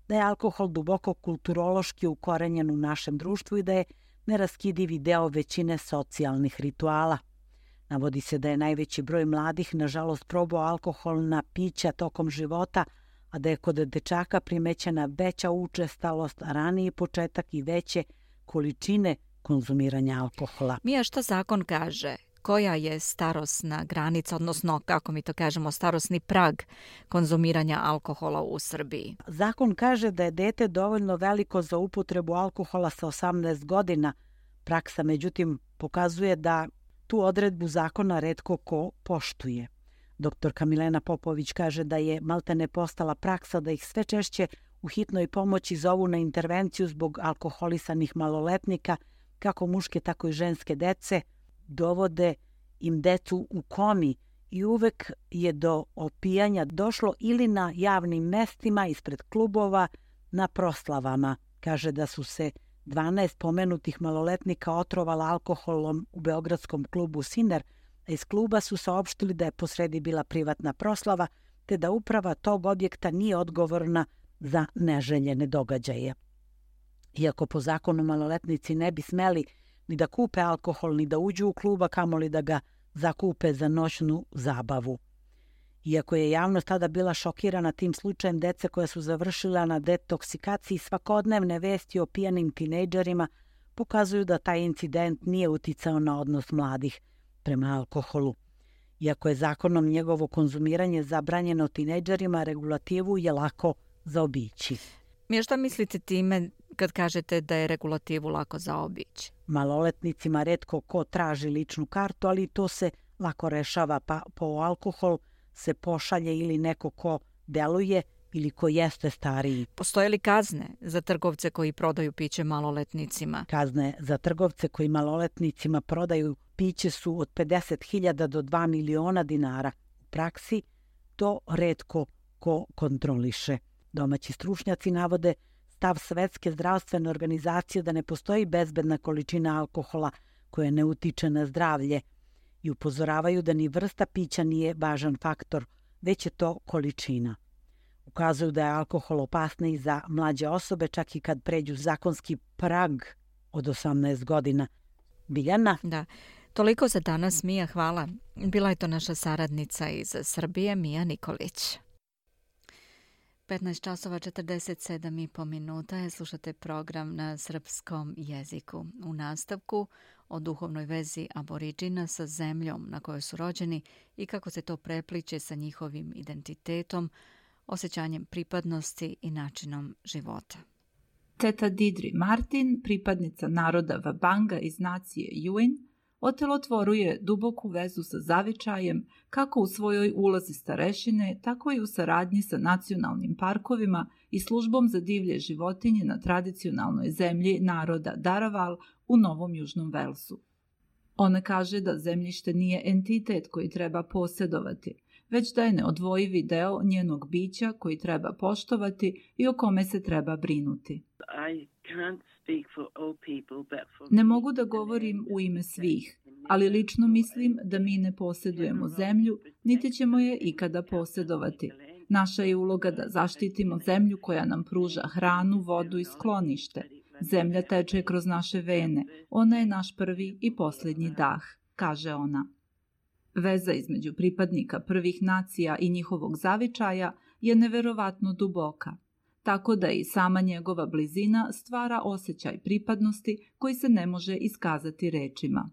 da je alkohol duboko kulturološki ukorenjen u našem društvu i da je neraskidivi deo većine socijalnih rituala. Navodi se da je najveći broj mladih, nažalost, probao alkoholna pića tokom života, a da je kod dečaka primećena veća učestalost, raniji početak i veće količine konzumiranja alkohola. Mija, šta zakon kaže? Koja je starosna granica, odnosno, kako mi to kažemo, starosni prag konzumiranja alkohola u Srbiji? Zakon kaže da je dete dovoljno veliko za upotrebu alkohola sa osamnaest godina. Praksa, međutim, pokazuje da tu odredbu zakona retko ko poštuje. Doktorka Milena Popović kaže da je maltene postala praksa da ih sve češće u hitnoj pomoći zovu na intervenciju zbog alkoholisanih maloletnika, kako muške, tako i ženske dece, dovode im decu u komi i uvek je do opijanja došlo ili na javnim mestima, ispred klubova, na proslavama. Kaže da su se dvanaest pomenutih maloletnika otrovala alkoholom u beogradskom klubu Siner, a iz kluba su saopštili da je posredi bila privatna proslava, te da uprava tog objekta nije odgovorna za neželjene događaje. Iako po zakonu maloletnici ne bi smeli ni da kupe alkohol, ni da uđu u kluba, kamoli da ga zakupe za noćnu zabavu. Iako je javnost tada bila šokirana tim slučajem dece koja su završila na detoksikaciji, svakodnevne vesti o pijanim tinejdžerima pokazuju da taj incident nije uticao na odnos mladih prema alkoholu. Iako je zakonom njegovo konzumiranje zabranjeno tinejdžerima, regulativu je lako zaobići. Mija, šta mislite time kad kažete da je regulativu lako zaobići? Maloletnicima retko ko traži ličnu kartu, ali to se lako rešava, pa po alkohol se pošalje ili neko ko deluje ili ko jeste stariji. Postoje li kazne za trgovce koji prodaju piće maloletnicima? Kazne za trgovce koji maloletnicima prodaju piće su od pedeset hiljada do dva miliona dinara. U praksi to retko ko kontroliše. Domaći stručnjaci navode stav Svetske zdravstvene organizacije da ne postoji bezbedna količina alkohola koja ne utiče na zdravlje i upozoravaju da ni vrsta pića nije važan faktor, već je to količina. Ukazuju da je alkohol opasniji za mlađe osobe, čak i kad pređu zakonski prag od osamnaest godina. Biljana? Da. Toliko za danas, Mija, hvala. Bila je to naša saradnica iz Srbije, Mija Nikolić. petnaest časova četrdeset sedam i po minuta je, slušate program na srpskom jeziku. U nastavku o duhovnoj vezi aboriđina sa zemljom na kojoj su rođeni i kako se to prepliče sa njihovim identitetom, osjećanjem pripadnosti i načinom života. Teta Didri Martin, pripadnica naroda Vabanga iz nacije Yuin, otelotvoruje duboku vezu sa zavičajem kako u svojoj ulozi starešine, tako i u saradnji sa nacionalnim parkovima i službom za divlje životinje na tradicionalnoj zemlji naroda Daraval u Novom Južnom Velsu. Ona kaže da zemljište nije entitet koji treba posjedovati, već da je neodvojivi deo njenog bića koji treba poštovati i o kome se treba brinuti. Ne mogu da govorim u ime svih, ali lično mislim da mi ne posjedujemo zemlju, niti ćemo je ikada posjedovati. Naša je uloga da zaštitimo zemlju koja nam pruža hranu, vodu i sklonište. Zemlja teče kroz naše vene, ona je naš prvi i posljednji dah, kaže ona. Veza između pripadnika prvih nacija i njihovog zavičaja je neverovatno duboka, tako da i sama njegova blizina stvara osjećaj pripadnosti koji se ne može iskazati rečima.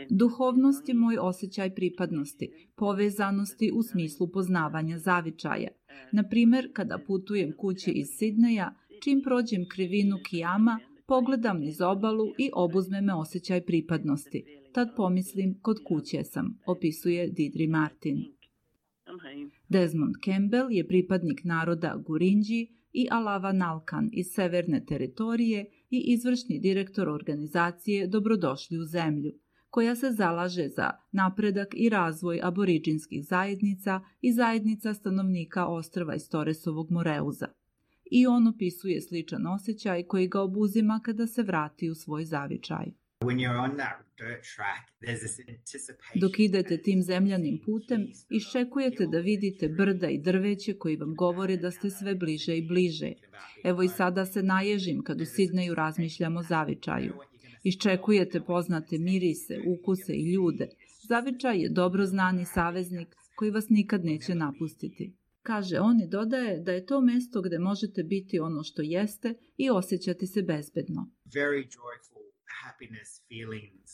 Duhovnost je moj osjećaj pripadnosti, povezanosti u smislu poznavanja zavičaja. Na primjer, kada putujem kući iz Sidneja, čim prođem krivinu Kijama, pogledam niz obalu i obuzme me osjećaj pripadnosti. Tad pomislim, kod kuće sam, opisuje Didri Martin. Desmond Campbell je pripadnik naroda Gurindji i Alava Nalkan iz severne teritorije i izvršni direktor organizacije Dobrodošli u zemlju, koja se zalaže za napredak i razvoj aboriđinskih zajednica i zajednica stanovnika ostrva iz Torresovog Moreuza. I on opisuje sličan osjećaj koji ga obuzima kada se vrati u svoj zavičaj. Dok idete tim zemljanim putem, iščekujete da vidite brda i drveće koji vam govore da ste sve bliže i bliže. Evo i sada se naježim kad u Sidneju razmišljam o zavičaju. Iščekujete poznate mirise, ukuse i ljude. Zavičaj je dobro znani saveznik koji vas nikad neće napustiti. Kaže on i dodaje da je to mesto gde možete biti ono što jeste i osjećati se bezbedno.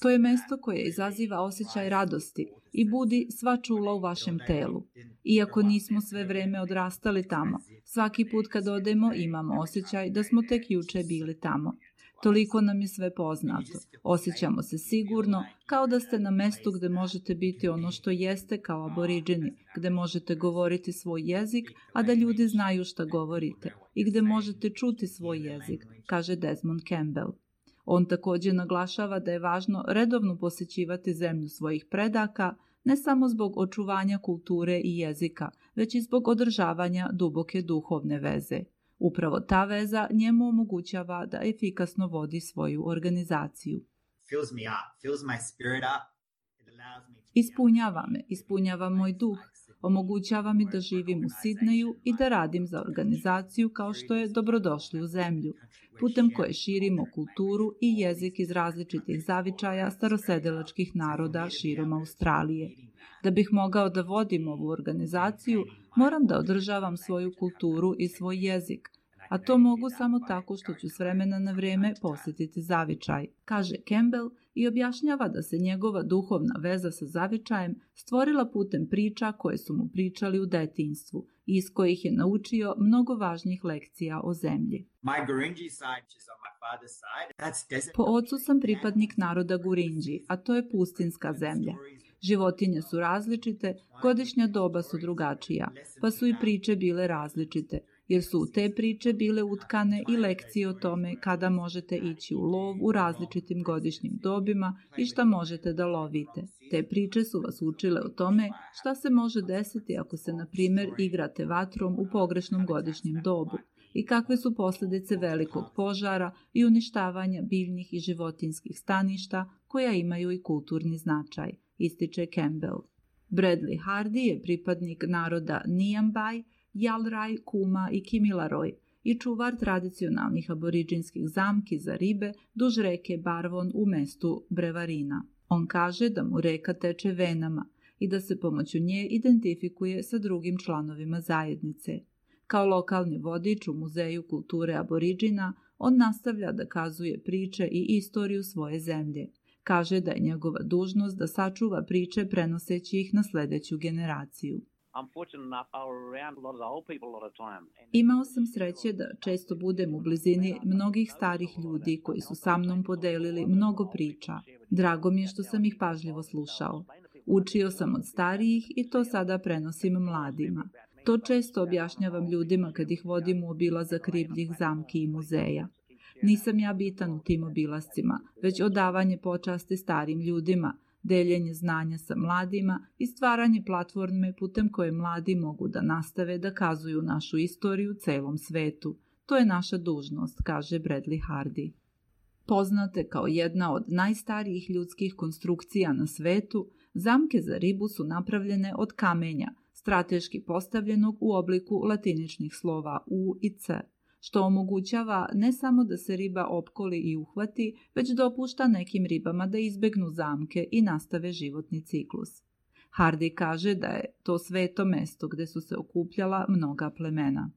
To je mesto koje izaziva osjećaj radosti i budi sva čula u vašem telu. Iako nismo sve vreme odrastali tamo, svaki put kad odemo imamo osjećaj da smo tek juče bili tamo. Toliko nam je sve poznato. Osjećamo se sigurno, kao da ste na mestu gde možete biti ono što jeste kao aboriđeni, gde možete govoriti svoj jezik, a da ljudi znaju šta govorite, i gde možete čuti svoj jezik, kaže Desmond Campbell. On također naglašava da je važno redovno posjećivati zemlju svojih predaka, ne samo zbog očuvanja kulture i jezika, već i zbog održavanja duboke duhovne veze. Upravo ta veza njemu omogućava da efikasno vodi svoju organizaciju. Ispunjava me, ispunjava moj duh, omogućava mi da živim u Sidneju i da radim za organizaciju kao što je Dobrodošli u zemlju, putem koje širimo kulturu i jezik iz različitih zavičaja starosedelačkih naroda širom Australije. Da bih mogao da vodim ovu organizaciju, moram da održavam svoju kulturu i svoj jezik, a to mogu samo tako što ću s vremena na vrijeme posjetiti zavičaj, kaže Campbell i objašnjava da se njegova duhovna veza sa zavičajem stvorila putem priča koje su mu pričali u detinjstvu i iz kojih je naučio mnogo važnih lekcija o zemlji. Po ocu sam pripadnik naroda Gurindji, a to je pustinska zemlja. Životinje su različite, godišnja doba su drugačija, pa su i priče bile različite, jer su u te priče bile utkane i lekcije o tome kada možete ići u lov u različitim godišnjim dobima i šta možete da lovite. Te priče su vas učile o tome šta se može desiti ako se, na primjer, igrate vatrom u pogrešnom godišnjem dobu i kakve su posljedice velikog požara i uništavanja biljnih i životinskih staništa koja imaju i kulturni značaj, ističe Campbell. Bradley Hardy je pripadnik naroda Niambay, Jalraj, Kuma i Kimilaroj i čuvar tradicionalnih aboriđinskih zamki za ribe duž reke Barwon u mestu Brevarina. On kaže da mu reka teče venama i da se pomoću nje identifikuje sa drugim članovima zajednice. Kao lokalni vodič u Muzeju kulture aboriđina, on nastavlja da kazuje priče i istoriju svoje zemlje. Kaže da je njegova dužnost da sačuva priče prenoseći ih na sljedeću generaciju. Imao sam sreće da često budem u blizini mnogih starih ljudi koji su sa mnom podelili mnogo priča. Drago mi je što sam ih pažljivo slušao. Učio sam od starijih i to sada prenosim mladima. To često objašnjavam ljudima kad ih vodim u obilazak ribljih zamki i muzeja. Nisam ja bitan u tim obilascima, već odavanje počasti starim ljudima, deljenje znanja sa mladima i stvaranje platforme putem koje mladi mogu da nastave da kazuju našu istoriju celom svetu. To je naša dužnost, kaže Bradley Hardy. Poznate kao jedna od najstarijih ljudskih konstrukcija na svetu, zamke za ribu su napravljene od kamenja, strateški postavljenog u obliku latiničnih slova U i C, što omogućava ne samo da se riba opkoli i uhvati, već dopušta nekim ribama da izbegnu zamke i nastave životni ciklus. Hardy kaže da je to sveto mesto gde su se okupljala mnoga plemena.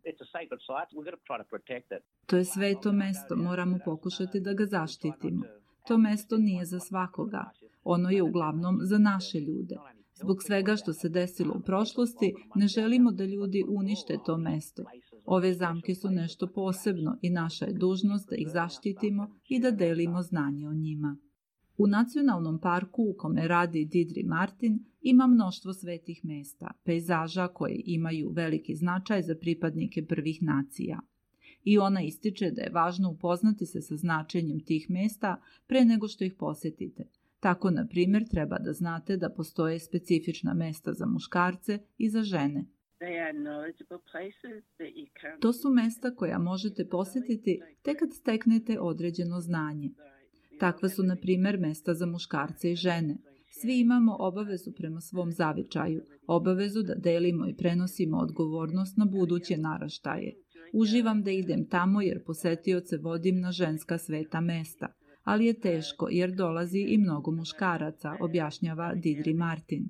To je sveto mesto, moramo pokušati da ga zaštitimo. To mesto nije za svakoga. Ono je uglavnom za naše ljude. Zbog svega što se desilo u prošlosti, ne želimo da ljudi unište to mesto. Ove zamke su nešto posebno i naša je dužnost da ih zaštitimo i da delimo znanje o njima. U nacionalnom parku u kome radi Didri Martin ima mnoštvo svetih mesta, pejzaža koje imaju veliki značaj za pripadnike prvih nacija. I ona ističe da je važno upoznati se sa značenjem tih mesta pre nego što ih posjetite. Tako, na primjer, treba da znate da postoje specifična mesta za muškarce i za žene. To su mesta koja možete posjetiti tek kad steknete određeno znanje. Takva su, na primjer, mesta za muškarce i žene. Svi imamo obavezu prema svom zavičaju, obavezu da delimo i prenosimo odgovornost na buduće naraštaje. Uživam da idem tamo jer posetioce vodim na ženska sveta mesta, ali je teško jer dolazi i mnogo muškaraca, objašnjava Didri Martin.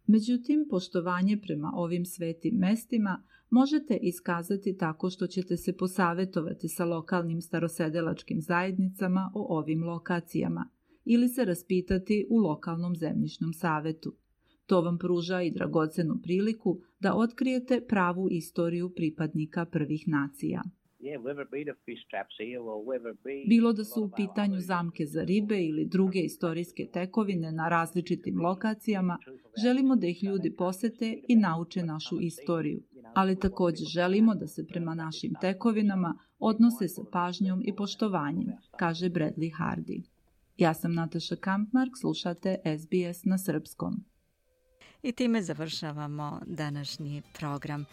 Međutim, poštovanje prema ovim svetim mestima možete iskazati tako što ćete se posavetovati sa lokalnim starosedelačkim zajednicama o ovim lokacijama ili se raspitati u lokalnom zemljišnom savetu. To vam pruža i dragocenu priliku da otkrijete pravu istoriju pripadnika prvih nacija. Bilo da su u pitanju zamke za ribe ili druge istorijske tekovine na različitim lokacijama, želimo da ih ljudi posete i nauče našu istoriju, ali također želimo da se prema našim tekovinama odnose sa pažnjom i poštovanjem, kaže Bradley Hardy. Ja sam Nataša Kampmark, slušate S B S na srpskom. I time završavamo današnji program.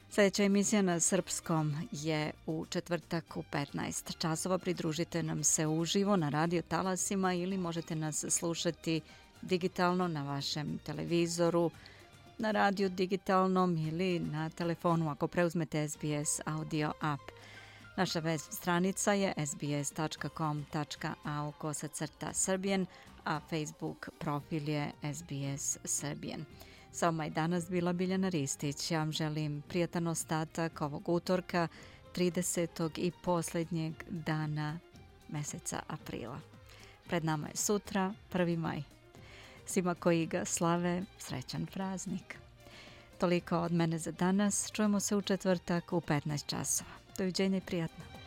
Sljedeća emisija na srpskom je u četvrtak u petnaest časova. Pridružite nam se uživo na radio talasima ili možete nas slušati digitalno na vašem televizoru, na radio digitalnom ili na telefonu ako preuzmete S B S audio app. Naša web stranica je s b s tačka com tačka a u kosacrta Srbijen, a Facebook profil je S B S Srbijen. Sa vama je danas bila Biljana Ristić. Ja vam želim prijatan ostatak ovog utorka, tridesetog i posljednjeg dana meseca aprila. Pred nama je sutra, prvi maj. Svima koji ga slave, srećan praznik. Toliko od mene za danas. Čujemo se u četvrtak u petnaest časova. Doviđenja i prijatno.